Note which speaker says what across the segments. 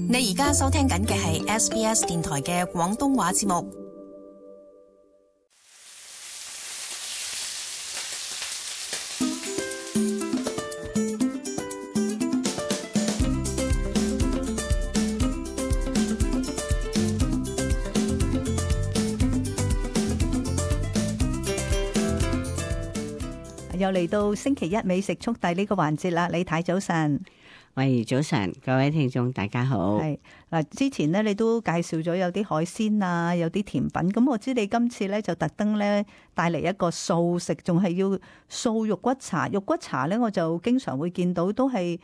Speaker 1: 你而家收聽緊嘅係 SBS 電台嘅廣東話節目。
Speaker 2: 又嚟到星期一美食速遞呢個環節啦，李太早晨。
Speaker 3: 喂，早晨，各位聽眾大家好。
Speaker 2: 係嗱，之前咧你都介紹咗有啲海鮮啊，有啲甜品，咁我知你今次咧就特登咧帶嚟一個素食，仲係要素肉骨茶。肉骨茶咧我就經常會見到都係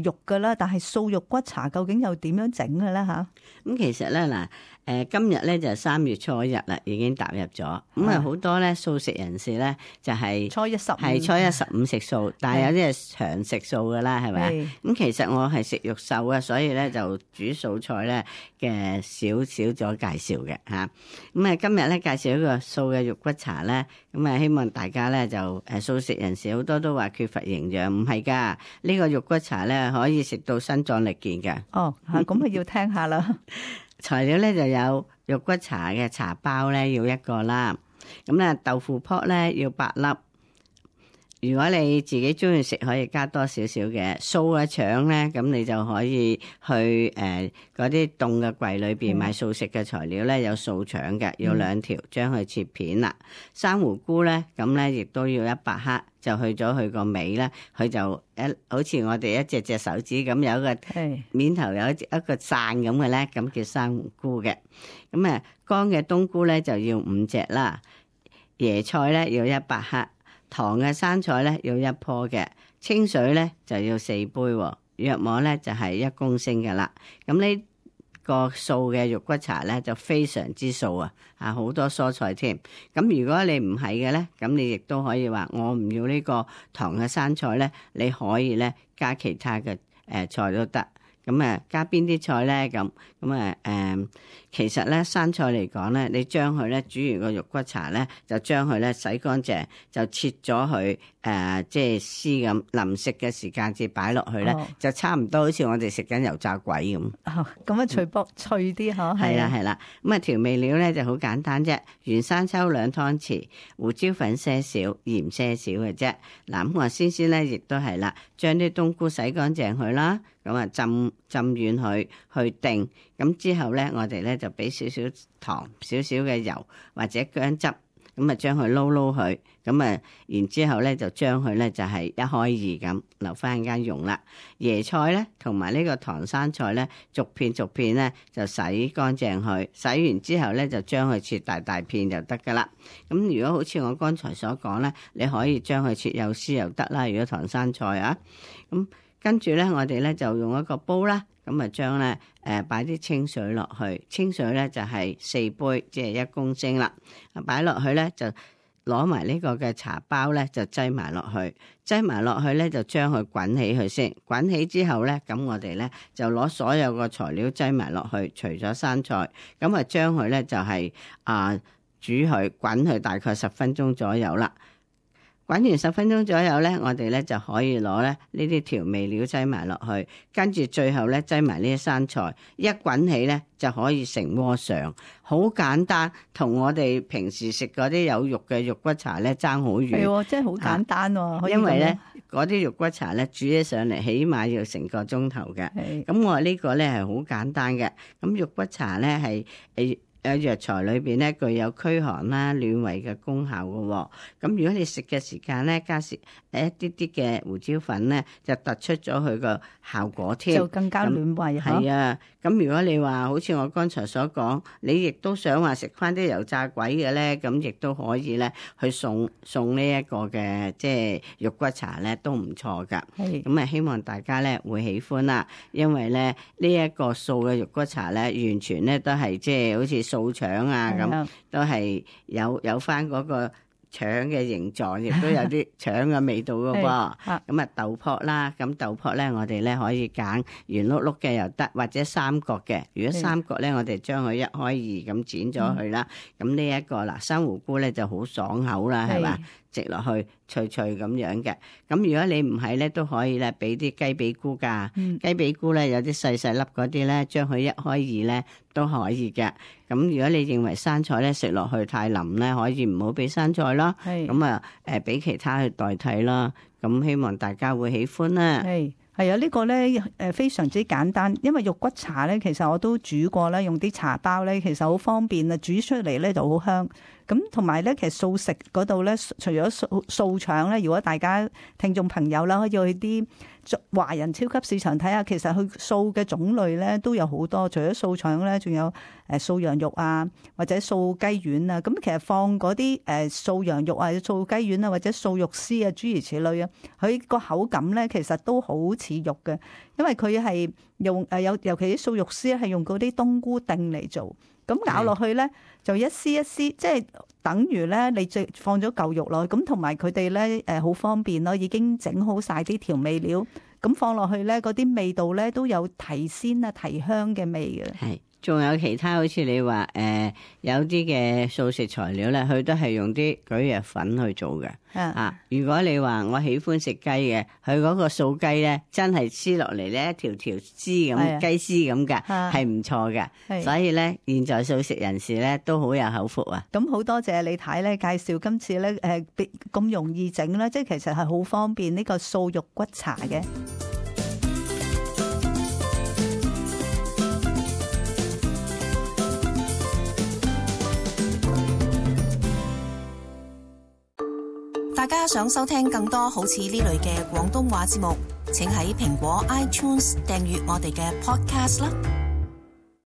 Speaker 2: 肉噶啦，但係素肉骨茶究竟又點樣整嘅咧吓？
Speaker 3: 咁其實咧嗱，今日咧就3月初1啦，已經踏入咗。咁好多咧素食人士咧就係
Speaker 2: 初一15
Speaker 3: 係初一15食素，但係有啲係長食素噶啦，係咪？咁其實我係食肉獸啊，所以咧就煮素菜咧嘅少咗介紹嘅吓。咁今日咧介紹一個素嘅肉骨茶咧，咁希望大家咧就素食人士好多都話缺乏營養，唔係噶，呢個肉骨茶咧可以食到身壯力健嘅。
Speaker 2: 哦，咁啊要聽下啦。
Speaker 3: 材料咧就有肉骨茶嘅茶包咧要1個啦，咁咧豆腐泡咧要8粒。如果你自己中意食，可以加多少少嘅素嘅腸咧，咁你就可以去嗰啲凍嘅櫃裏邊買素食嘅材料咧，有素腸嘅，要2條，將佢切片啦。生胡菇咧，咁咧亦都要100克，就去咗佢個尾咧，佢就好似我哋一隻手指咁，有一個面頭有一個傘咁嘅咧，咁叫生胡菇嘅。咁乾嘅冬菇咧就要5隻啦，椰菜咧要100克。糖嘅生菜咧要1棵嘅，清水咧就要4杯，約莫咧就係1公升㗎啦。咁呢個素嘅肉骨茶咧就非常之素啊，好多蔬菜添。咁如果你唔係嘅咧，咁你亦都可以話我唔要呢個糖嘅生菜咧，你可以咧加其他嘅菜都得。咁加邊啲菜咧？咁其實咧生菜嚟講咧，你將佢咧煮完個肉骨茶咧，就將佢咧洗乾淨，就切咗佢即係絲咁，臨食嘅時間至擺落去咧，就差唔多好似我哋食緊油炸鬼咁。
Speaker 2: 咁脆啲嗬。
Speaker 3: 係啦。咁調味料咧就好簡單啫，原生抽2湯匙，胡椒粉些少，鹽些少嘅啫。嗱，咁我先咧亦都係啦，將啲冬菇洗乾淨佢啦。咁浸軟佢去定，咁之後咧，我哋咧就俾少少糖、少少嘅油或者薑汁，咁將佢撈佢，咁然之後咧就將佢咧就係1開2咁留翻間用啦。椰菜咧同埋呢個唐生菜咧，逐片咧就洗乾淨佢，洗完之後咧就將佢切大片就得噶啦。咁如果好似我剛才所講咧，你可以將佢切幼絲又得啦。如果唐生菜啊，咁。跟住咧，我哋咧就用一個煲啦，咁將咧擺啲清水落去，清水咧就係4杯，即係1公升啦。擺落去咧就攞埋呢個嘅茶包咧就擠埋落去咧就將佢滾起佢先，滾起之後咧，咁我哋咧就攞所有個材料擠埋落去，除咗生菜，咁將佢咧就係煮佢滾佢大概10分鐘左右啦。滾完10分鐘左右咧，我哋咧就可以攞咧呢啲調味料擠埋落去，跟住最後咧擠埋呢啲生菜，一滾起咧就可以成鍋上，好簡單，同我哋平時食嗰啲有肉嘅肉骨茶咧爭好遠。
Speaker 2: 係，真係好簡單喎。
Speaker 3: 因為咧嗰啲肉骨茶咧煮起上嚟起碼要成個鐘頭嘅。咁我呢個咧係好簡單嘅。咁肉骨茶咧係藥材裏邊咧具有驅寒啦、暖胃嘅功效嘅。咁如果你食嘅時間咧加一啲啲嘅胡椒粉咧，就突出咗佢個效果添，
Speaker 2: 就更加暖胃。
Speaker 3: 係啊，咁如果你話好似我剛才所講，你亦都想話食翻啲油炸鬼嘅咧，咁亦都可以咧去送呢一個嘅即係肉骨茶咧，都唔錯噶。咁希望大家咧會喜歡啦，因為咧呢一個素嘅肉骨茶咧，完全咧都係即係好似素腸啊咁，都係有翻嗰個腸嘅形狀，亦都有啲腸嘅味道噶噃。咁豆卜啦，咁豆卜咧我哋咧可以揀圓碌碌嘅又得，或者三角嘅。如果三角咧，我哋將佢1開2咁剪咗佢啦。咁呢一個嗱，生胡菇咧就好爽口啦，係嘛？直落去脆脆咁樣嘅。咁如果你唔係咧，都可以咧俾啲雞髀菇㗎。雞髀菇咧有啲細細粒嗰啲咧，將佢一開二咧都可以嘅。咁如果你認為生菜咧食落去太腍咧，可以唔好俾生菜啦。咁啊俾其他去代替啦。咁希望大家會喜歡啦。
Speaker 2: 係啊，呢個咧非常之簡單，因為肉骨茶咧其實我都煮過啦，用啲茶包咧其實好方便啊，煮出嚟咧就好香。咁同埋咧，其實素食嗰度咧，除咗素腸咧，如果大家聽眾朋友啦，可以去啲華人超級市場睇下，其實佢素嘅種類咧都有好多，除咗素腸咧，仲有素羊肉啊，或者素雞丸啊。咁其實放嗰啲素羊肉啊、素雞丸啊，或者素肉絲啊，諸如此類啊，佢個口感咧其實都好似肉嘅，因為佢係用尤其啲素肉絲係用嗰啲冬菇丁嚟做。咁咬落去咧，就一絲一絲，即係等於咧你放咗嚿肉落去，咁同埋佢哋咧好方便咯，已經整好晒啲調味料，咁放落去咧嗰啲味道咧都有提鮮啊、提香嘅味嘅。
Speaker 3: 係，仲有其他好似你話有啲嘅素食材料咧，佢都係用啲蒟蒻粉去做嘅。如果你話我喜歡食雞嘅，佢嗰個素雞咧，真係黐落嚟咧一條條絲咁雞絲咁㗎，係唔錯嘅。所以咧，現在素食人士咧都好有口福啊！
Speaker 2: 咁好多謝李太咧介紹今次咧咁容易整啦，即係其實係好方便呢個素肉骨茶嘅。
Speaker 1: 大家想收聽更多好似呢類嘅廣東話節目，請喺蘋果 iTunes 訂閱我哋嘅 Podcast 啦。